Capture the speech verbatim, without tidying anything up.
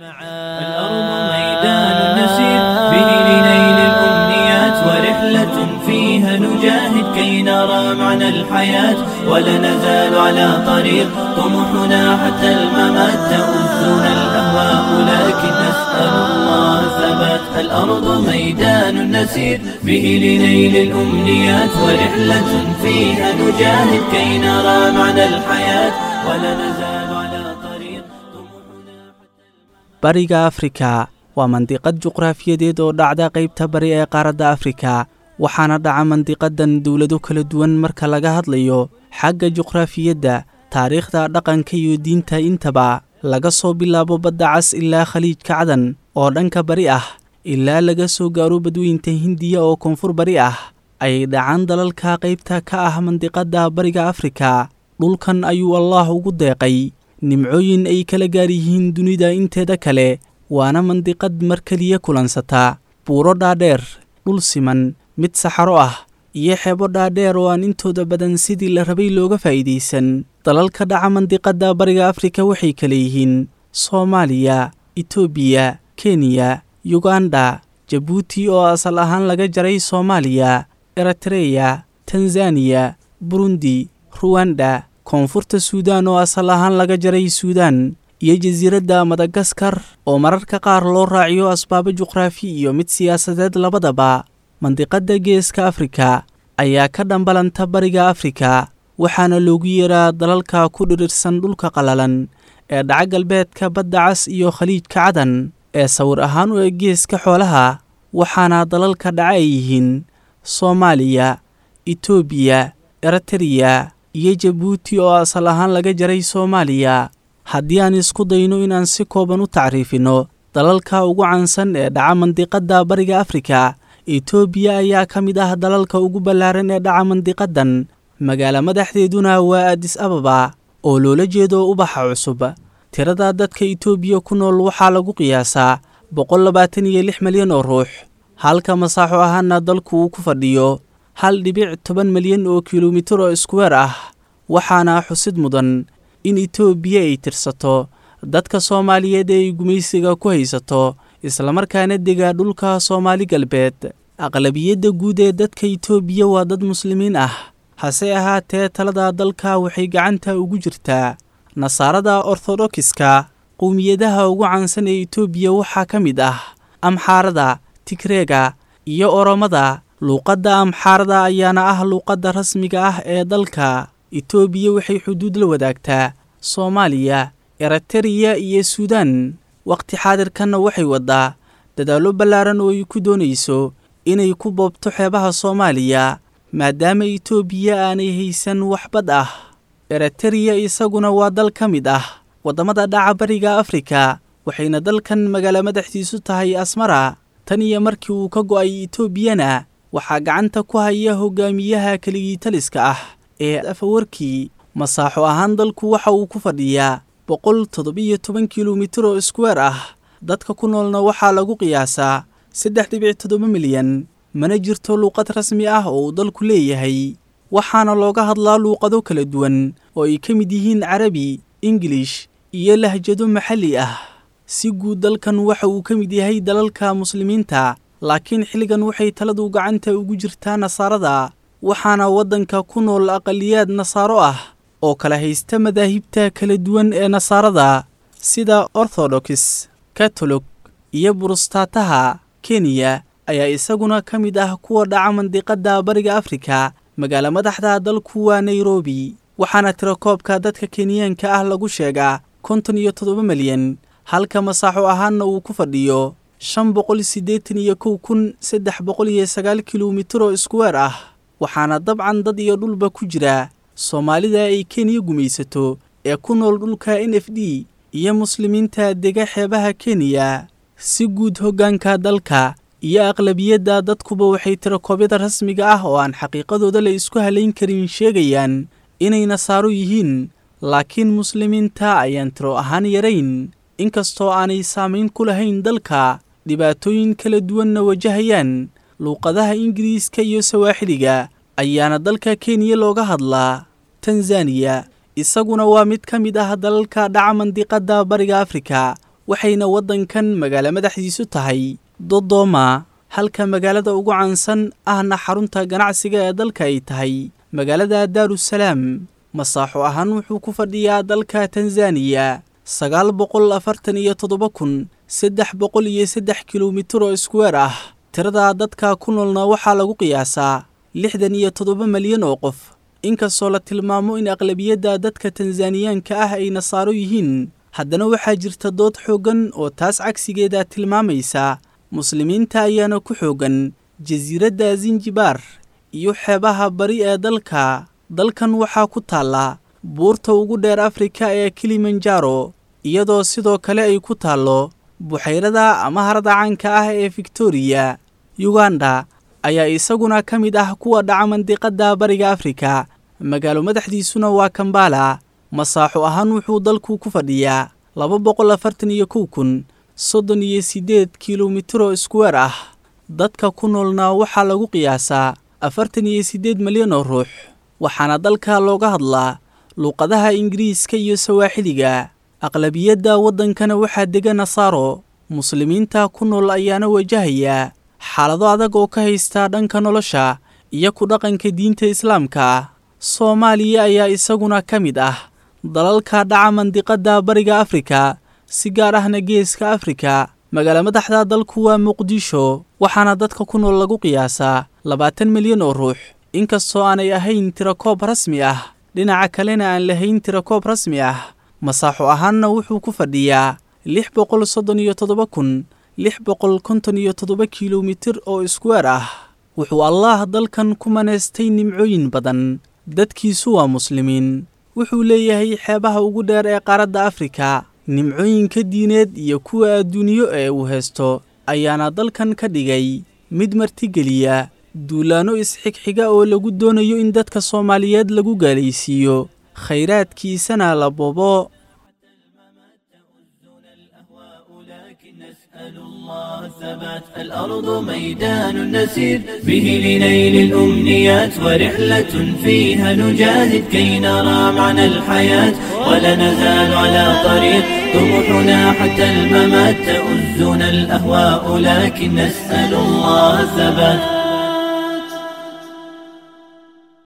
الأرض ميدان نسير به لنيل الأمنيات، ورحلة فيها نجاهد كي نرى معنى الحياة، ولا نزال على طريق طموحنا حتى الممات. تؤذنا الأهواء لكن نسأل الله الثبات. الأرض ميدان نسير به لنيل الأمنيات، ورحلة فيها نجاهد كي نرى معنى الحياة، ولا نزال على طريق طموحنا حتى الممات. Bariga Afrika waa mandiqad juqraafiyadeed oo dhacda qaybta bari ee qaaradda Afrika, waxaana dhaca mandiqadan dowlado kala duwan marka laga hadlayo xagga juqraafiyadda, taariikhda, dhaqanka iyo diinta intaba, laga soo bilaabo Badda Cas ilaa Khaliijka Cadan oo dhanka bari ah, ilaa laga soo gaaro Badweynta Hindiya oo koonfur bari ah ayay dhacaan dalalka qaybta ka ah mandiqadda Bariga Afrika. Dhulkan ayuu Allaah ugu deeqay nimcooyin ay kala gaar yihiin dunida inteeda kale, waana mandiqad mar keliya kulansata buuro dhaadheer, dhul siman, mid saxaro ah iyo xeebo dhaadheer oo aan intooda badan sidii la rabay looga faa'iidaysan. Dalalka dhaca mandiqadda Bariga Afrika waxay kala yihiin Soomaaliya, Itoobiya, Kenya, Yuganda, Jabuuti oo asal ahaan laga jaray Soomaaliya, Eritreya, Tanzaniya, Burundi, Ruwanda, Koonfurta Suudaan oo asal ahaan laga jaray Suudaan, iyo jasiiradda Madagaskar oo mararka qaar loo raaciyo asbaabo juqraafi iyo mid siyaasadeed labadaba. Mandiqadda Geeska Afrika ayaa ka dhambalanta Bariga Afrika, waxaana loogu yeeraa dalalka ku dhirirsan dhulka qallalan ee dhaca galbeedka Badda Cas iyo Khaliijka Cadan ee sawir ahaan u eg geeska xoolaha, waxaana dalalka dhaca ay yihiin Soomaaliya, Itoobiya, Eritreya iyo Jabuuti oo asal ahaan laga jaray Soomaaliya. Haddii aan isku dayno inaan si kooban u tacriifino dalalka ugu caansan ee dhaca mandiqadda Bariga Afrika, Itoobiya ayaa ka mid ah dalalka ugu ballaaran ee dhaca mandiqadan, magaalo madaxdeeduna waa Addis Ababa oo loola jeedo ubaxa cusub. Tirada dadka Itoobiya ku nool waxaa lagu qiyaasaa boqol labaatan iyo lix malyan oo ruux, halka masaaxo ahaana dalku uu ku fadhiyo hal dhibic toban malyan oo kilomitir oo iskuweer ah. Waxaana xusid mudan in Itoobiya ay tirsato dadka Soomaaliyeed ee ay gumaysiga ku haysato, islamarkaana dega dhulka Soomaali Galbeed. Aqlabiyadda guud ee dadka Itoobiya waa dad Muslimiin ah, hase ahaatee talada dalka waxay gacanta ugu jirtaa Nasaarada Orthodoxiska. Qowmiyadaha ugu caansan ee Itoobiya waxaa ka mid ah Amxaarada, Tigreega iyo Oromada. Luuqadda Amxaarada ayaana ah luuqadda rasmiga ah ee dalka. Itoobiya waxay xuduud la wadaagtaa Soomaaliya, Eritreya iyo Suudaan. Waqti xaadirkanna waxay waddaa dadaallo ballaaran oo ay ku doonayso inay ku boobto xeebaha Soomaaliya, maadaama Itoobiya aanay haysan wax bad ah. Eritreya isaguna waa dal ka mid ah waddamada dhaca Bariga Afrika, waxayna dalkan magaalo madaxdiisu tahay Asmara. Tan iyo markii uu ka go'ay Itoobiyana waxaa gacanta ku haya hogaamiyaha keligii taliska ah ee Afawarki. Masaaxo ahaan dalku waxa uu ku fadhiyaa boqol toddobiyo toban kilomitir oo iskuweer ah, dadka ku noolna waxaa lagu qiyaasaa saddex dhibic toddoba milyan. Mana jirto luuqad rasmi ah oo uu dalku leeyahay, waxaana looga hadlaa luuqado kala duwan oo ay ka mid yihiin Carabi, Ingiliish iyo lahjado maxalli ah. Si guud dalkan waxa uu ka mid yahay dalalka Muslimiinta, laakiin xilligan waxay taladu gacanta ugu jirtaa Nasaarada, waxaana waddanka ku nool aqaliyaad Nasaaro ah oo kala haysta madaahibta kala duwan ee Nasaarada sida Orthodox, Catholic iyo Burustataha. Kenya ayaa isaguna ka mid ah kuwa dhaca mandiqadda Bariga Afrika. Magaalo madaxda dalku waa Nairobi, waxaana tirakoobka dadka Kenyaanka ah lagu sheegaa konton iyo toddoba malyan, halka masaaxo ahaanna uu ku fadhiyo shan boqol siddeetan iyo kow kun saddex boqol iyo sagaal kilomitir oo iskuweer ah. Waxaana dabcan dad iyo dhulba ku jira Soomaalida ay Kenya gumaysato ee ku nool dhulka N F D iyo Muslimiinta dega xeebaha Kenya. Si guud hoggaanka dalka iyo aqlabiyadda dadkuba waxay tirakoobyada rasmiga ah oo aan xaqiiqadooda la isku halayn karin sheegayaan inay Nasaaro yihiin, laakiin Muslimiinta ayaan tiro ahaan yarayn, inkastoo aanay saamayn ku lahayn dalka, dhibaatooyin kala duwanna wajahayaan. Luuqadaha Ingiriiska iyo Sawaaxiliga ayaana dalka Kenya looga hadlaa. Tanzaniya isaguna waa mid ka mid ah dalalka dhaca mandiqadda Bariga Afrika, Waxayna waddankan magaalo madaxdiisu tahay Dodoma, halka magaalada ugu caansan ahna xarunta ganacsiga ee dalka ay tahay magaalada Daarusalaam. Masaaxo ahaan wuxuu ku fadhiyaa dalka Tanzaniya sagaal boqol afartan iyo toddoba kun saddex boqol iyo saddex kilomitir oo iskuweer ah. Tirada dadka ku noolna waxaa lagu qiyaasaa lixdan iyo toddoba malyan oo qof. Inkastoo la tilmaamo in aqlabiyadda dadka Tanzaniyaanka ah ay nasaaro yihiin, haddana waxaa jirta dood xooggan oo taas cagsigeeda tilmaamaysa. Muslimiinta ayaana ku xooggan jasiiradda Zanzibar iyo xeebaha bari ee dalka. Dalkan waxaa ku taalla buurta ugu dheer Afrika ee Kilimanjaro, iyadoo sidoo kale ay ku taallo buxayrada ama harada caanka ah ee Victoria. Uganda ayaa isaguna ka mid ah kuwa dhaca mandiqada bariga Afrika, magaalo madaxdiisuna waa Kampala. Masaaxo ahaan wuxuu dalku ku fadhiyaa laba boqol afartan iyo kow kun soddon iyo siddeed kilomitir oo iskuweer ah. Dadka ku noolna waxaa lagu qiyaasaa afartan iyo siddeed malyan oo ruux, waxaana dalka looga hadlaa luuqadaha Ingiriiska iyo Sawaaxiliga. Aqlabiyadda waddankana waxaa dega Nasaaro. Muslimiinta ku nool ayaana wajahaya xaalado adag oo ka haysta dhanka nolosha iyo ku dhaqanka diinta Islaamka. Soomaaliya ayaa isaguna ka mid ah dalalka dhaca mandiqada bariga Afrika, si gaar ahna geeska Afrika. Magaalo madaxda dalku waa Muqdisho, waxaana dadka ku nool lagu qiyaasaa labaatan milyan oo ruux, inkastoo aanay ahayn tirakoob rasmi ah. Dhinaca kalena aan lahayn tirakoob rasmi ah. Masaaxo ahaanna wuxuu ku fadhiyaa lix boqol soddon iyo toddoba kun lix boqol konton iyo toddoba kilomitir oo iskuweer ah. Wuxuu Allaah dalkan ku maneystay nimcooyin badan. Dadkiisu waa muslimiin. Wuxuu leeyahay xeebaha ugu dheer ee qaaradda Afrika. Nimcooyinka diineed iyo kuwa adduunyo ee uu haysto ayaana dalkan ka dhigay mid martigeliya duulaanno isxigxiga oo lagu doonayo in dadka Soomaaliyeed lagu gaalaysiiyo, khayraadkiisana la boobo. نسأل الله الثبات. الأرض ميدان نسير به لنيل الأمنيات، ورحلة فيها نجاهد كي نرى معنى الحياة، ولا نزال على طريق طموحنا حتى الممات. تؤزنا الأهواء لكن نسأل الله الثبات.